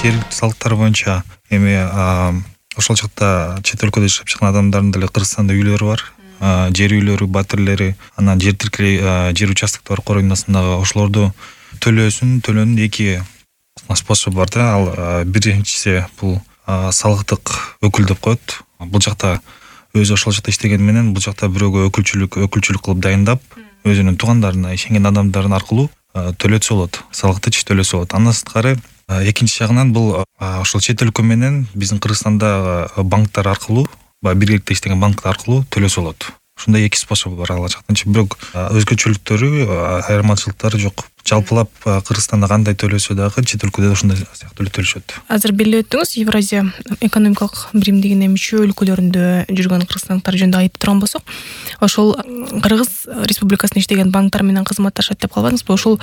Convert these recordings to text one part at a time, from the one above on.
жергиликтүү салыктар боюнча эми ошол жакта чет өлкөдө жашап чыккан адамдардын деле Кыргызстанда үйлөрү бар. Жер үйлөрү, батирлери, анан жер тилкелей, жер участоктор коройнасындагы ошолорду төлөөнүн эки способу бар да. Ал биринчиси бул салыктык өкүл деп коет. Бул жакта өзү ошол жакта иштеген менен бул жакта бирөөгө өкүлчүлүк кылып дайындап, өзүнүн туугандарына, ишенген адамдарын аркылуу төлөтсө болот. Салыкты төлөсө болот. Андан сырткары экинчи жагынан бул ошол чет өлкө менен биздин Кыргызстандагы банктар аркылуу, биргеликте иштеген банктар аркылуу төлөсө болот. Ушундай эки способу бар ал жактан. Бирок өзгөчөлүктөрү, айырмачылыктары жок. Жалпылап Кыргызстанда кандай төлөсө дагы чет өлкөдө ошондой сыяктуу төлөшөт. Азыр белгилеп өттүңүз, Евразия экономикалык биримдигине мүчө өлкөлөрүндө жүргөн кыргызстандыктар жөнүндө айтып турган болсок, ошол Кыргыз Республикасында иштеген банктар менен кызматташат деп калбадыңызбы? Ошол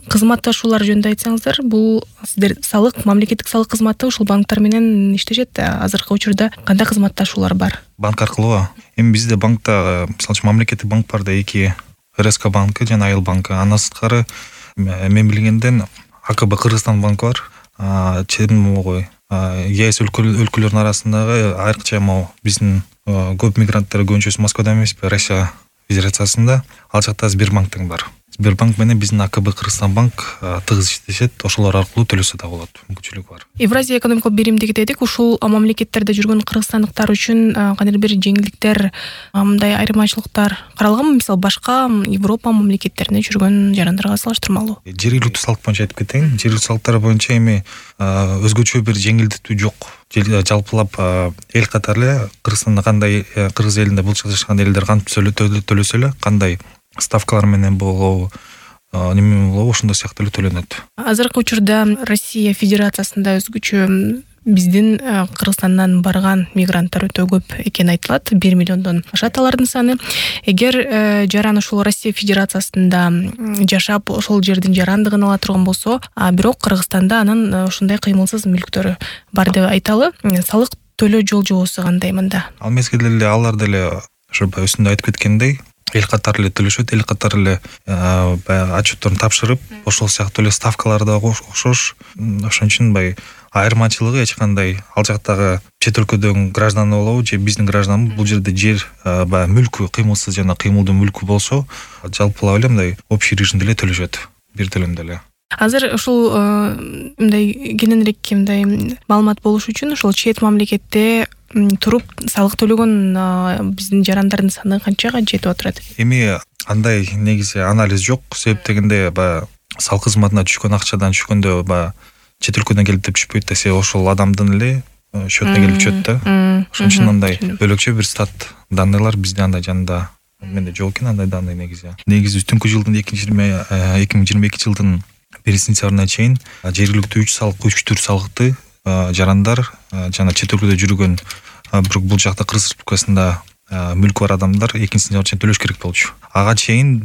кызматташуулар жөнүндө айтсаңыздар, бул сиздер мамлекеттик салык кызматы ушул банктар менен иштешет. Азыркы учурда кандай кызматташуулар бар? Банк аркылуу. Эми бизде банкта, мисалы үчүн мамлекеттик банк бар да, эки РСК банкы жана Айыл банкы. Андан сырткары мен билгенден АКБ Кыргызстан банкы бар. Чедимогой ЕС өлкөлөрүнүн арасындагы айрыкча биздин көп мигранттар көбүнчөсү Москвада эмеспи, Россия Федерациясында. Ал жакта Сбербанк тең бар. Сбербанк менен биздин АКБ Кыргызстан банк тыгыз иштешет. Ошолор аркылуу төлөсө да болот. Мүмкүнчүлүк бар. Евразия экономикалык биримдиги дедик. Ушул мамлекеттерде жүргөн кыргызстандыктар үчүн кандайдыр бир жеңилдиктер, мындай айырмачылыктар каралганбы? Мисалы, башка Европа мамлекеттеринде жүргөн жарандарга салыштырмалуу. Жергиликтүү салык боюнча айтып кетейин. Жергиликтүү салыктар боюнча эми өзгөчө бир жеңилдетүү жок. Жалпылап эл катары эле Кыргызстанда кандай, Кыргыз элинде бул жашаган элдер кантип төлөсө эле, кандай ставкалар менен болобу, неме болобу, ошондой сыяктуу эле төлөнөт. Азыркы учурда Россия Федерациясында өзгөчө биздин Кыргызстандан барган мигранттар өтө көп экени айтылат. 1 миллиондон ашат алардын саны. Эгер жаран ушул Россия Федерациясында жашап, ошол жердин жарандыгын ала турган болсо, бирок Кыргызстанда анын ушундай кыймылсыз мүлктөрү бар деп айталы. Салык төлөө жол жобосу кандай мында? Ал мезгилде эле алар деле ошо өсүндө айтып кеткендей, эл катары эле төлөшөт, эл катары эле отчетторун тапшырып, ошол сыяктуу эле ставкалар да окшош. Ошон үчүн айырмачылыгы эч кандай ал жактагы чет өлкөдөгү гражданы болобу же биздин гражданбы, бул жерде жер мүлкү кыймылсыз жана кыймылдуу мүлкү болсо, жалпылап эле мындай общий режимде эле төлөшөт, бир төлөмдө эле. Азыр ушул мындай кененирээк маалымат болуш үчүн ошол чет мамлекетте туруп салык төлөгөн биздин жарандардын саны канчага жетип отурат? Эми андай негизи анализ жок. Себеп дегенде салык кызматына түшкөн акчадан түшкөндө чет өлкөдөн келип деп түшпөйт да, ошол адамдын эле счетуна келип түшөт да. Ошон үчүн андай бөлөкчө бир стат данныйлар биздин андай жанында менде жок экен, андай данный негизи. Негизи түнкү жылдын 2022 жылдын 1 сентябрына чейин жергиликтүү 3 түр салыкты жарандар жана чет өлкөдө жүргөн, бирок бул жакта Кыргыз Республикасында мүлкү бар адамдар 2 сентябрга чейин төлөш керек болчу. Ага чейин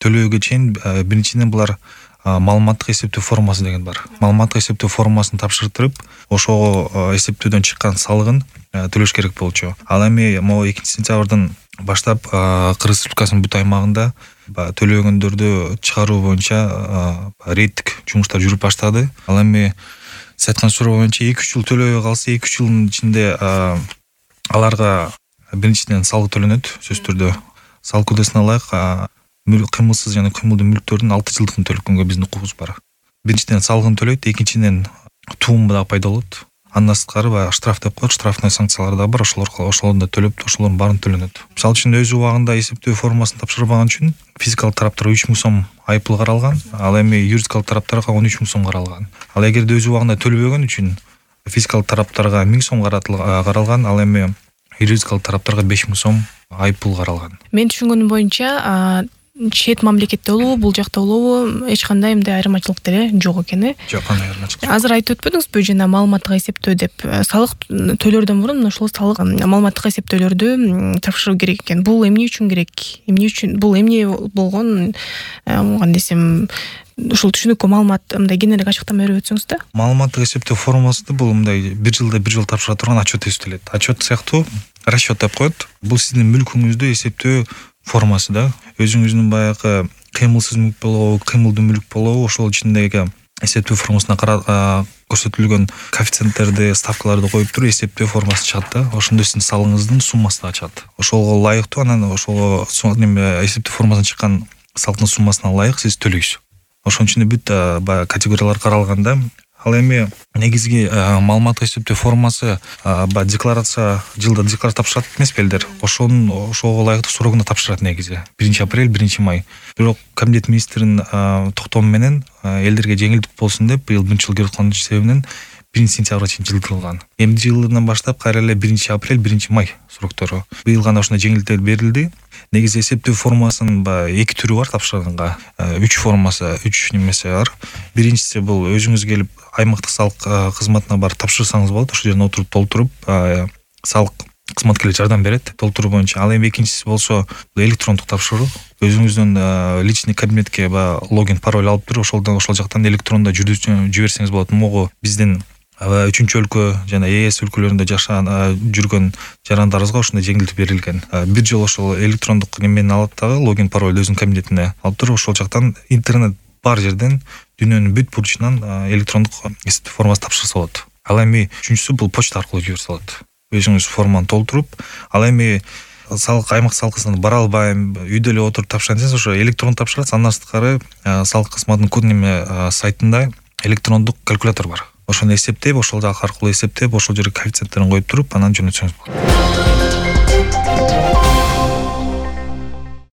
төлөөгө чейин биринчиден булар маалыматтык эсептөө формасы деген бар. Маалыматтык эсептөө формасын тапшыртып, ошого эсептөөдөн чыккан салыгын төлөш керек болчу. Ал эми 2 сентябрдан баштап Кыргыз Республикасынын бүт аймагында төлөгөндөрдү чыгаруу боюнча рейдтик жумуштар жүрүп баштады. Ал эми сиз айткан суроо боюнча 2-3 жыл төлөбөй калса, 2-3 жылдын ичинде аларга биринчиден салык төлөнөт, сөзсүз түрдө. Салык кодексине ылайык кыймылсыз жана кыймылдуу мүлктөрдүн 6 жылдыгын төлөгөнгө биздин укугубуз бар. Биринчиден салыгын төлөйт, экинчиден тууму дагы пайда болот. Андан сырткары штраф деп коет, штрафный санкциялар да бар, ошолорду да төлөп, ошолордун баарын төлөнөт. Мисалы үчүн өз убагында эсептөө формасын тапшырбаган үчүн физикалык тараптарга 3 миң сом айыппул каралган, ал эми юридикалык тараптарга 13 миң сом каралган. Ал эгерде өз убагында төлөбөгөн үчүн физикалык тараптарга 1000 сом каралган, ал эми юридикалык тараптарга 5 миң сом айыппул каралган. Мен түшүнгөнүм боюнча чет мамлекетте болобу, бул жакта болобу, эч кандай мындай айырмачылык деле жок экен. Жок, кандай айырмачылык. Азыр айтып өтпөдүңүзбү, жана маалыматтык эсептөө деп, салык төлөөрдөн мурун ошол салык маалыматтык эсептөөлөрдү тапшыруу керек экен. Бул эмне үчүн керек? Эмне үчүн бул эмне болгон, кандай десем, ушул түшүнүккө маалымат мындай кененирээк ачыктама берип өтсөңүз да. Маалыматтык эсептөө формасы бул мындай бир жылда бир жолу тапшыра турган отчет эсептелет. Отчет сыяктуу расчет деп коет. Бул сиздин мүлкүңүздү эсептөө формасы да. Өзүңүздүн баягы кыймылсыз мүлк болобу, кыймылдуу мүлк болобу, ошол ичиндеги эсептөө формасына көрсөтүлгөн коэффициенттерди, ставкаларды коюп туруп эсептөө формасы чыгат да. Ошондо сиздин салыгыңыздын суммасы да чыгат. Ошого ылайыктуу, анан ошого эсептөө формасынан чыккан салыктын суммасына ылайык сиз төлөйсүз. Ошонун ичинде бүт баягы категориялар каралганда, ал эми негизги маалымат эсептөө формасы баягы декларация, жылда декларация тапшырат эмеспи элдер. Ошого ылайыктуу срогуна тапшырат негизи. 1-апрель, 1-май. Бирок комитет министринин токтому менен элдерге жеңилдик болсун деп быйыл 1-жыл көрүп аткан себебинен 1-сентябрга чейин жылдырылган. Эмди жылынан баштап кайра эле 1-апрель, 1-май сроктору. Быйыл гана ушундай жеңилдиктер берилди. Негизи эсептөө формасынын эки түрү бар тапшырганга. 3 формасы, 3 немеси бар. Биринчиси бул өзүңүз келип аймактык салык кызматына барып тапшырсаңыз болот. Ошол жерден отуруп толтуруп, салык кызматкерлер жардам берет толтуруу боюнча. Ал эми экинчиси болсо электрондук тапшыруу. Өзүңүздүн личный кабинетке логин, пароль алып туруп, ошол жактан электрондо жиберсеңиз болот. Могу биздин 3-өлкө жана ЕС өлкөлөрүндө жүргөн жарандарыбызга ушундай жеңилдик берилген. Бир жолу ошол электрондук немени алат дагы, логин, пароль өзүнүн кабинетине алып туруп, ошол жактан интернет бар жерден дүйнөнүн бүт бурчунан электрондук эсептөө формасы тапшырса болот. Ал эми үчүнчүсү бул почта аркылуу жиберсе болот. Өзүңүз форманы толтуруп, ал эми аймак салык кызматына бара албайм, үйдө эле отуруп тапшырайын десеңиз, ошо электрондук тапшырат. Андан сырткары салык кызматынын сайтында электрондук калькулятор бар. Ошону эсептеп, ошол жак аркылуу эсептеп, ошол жерге коэффициенттерин коюп туруп, анан жөнөтсөңүз болот.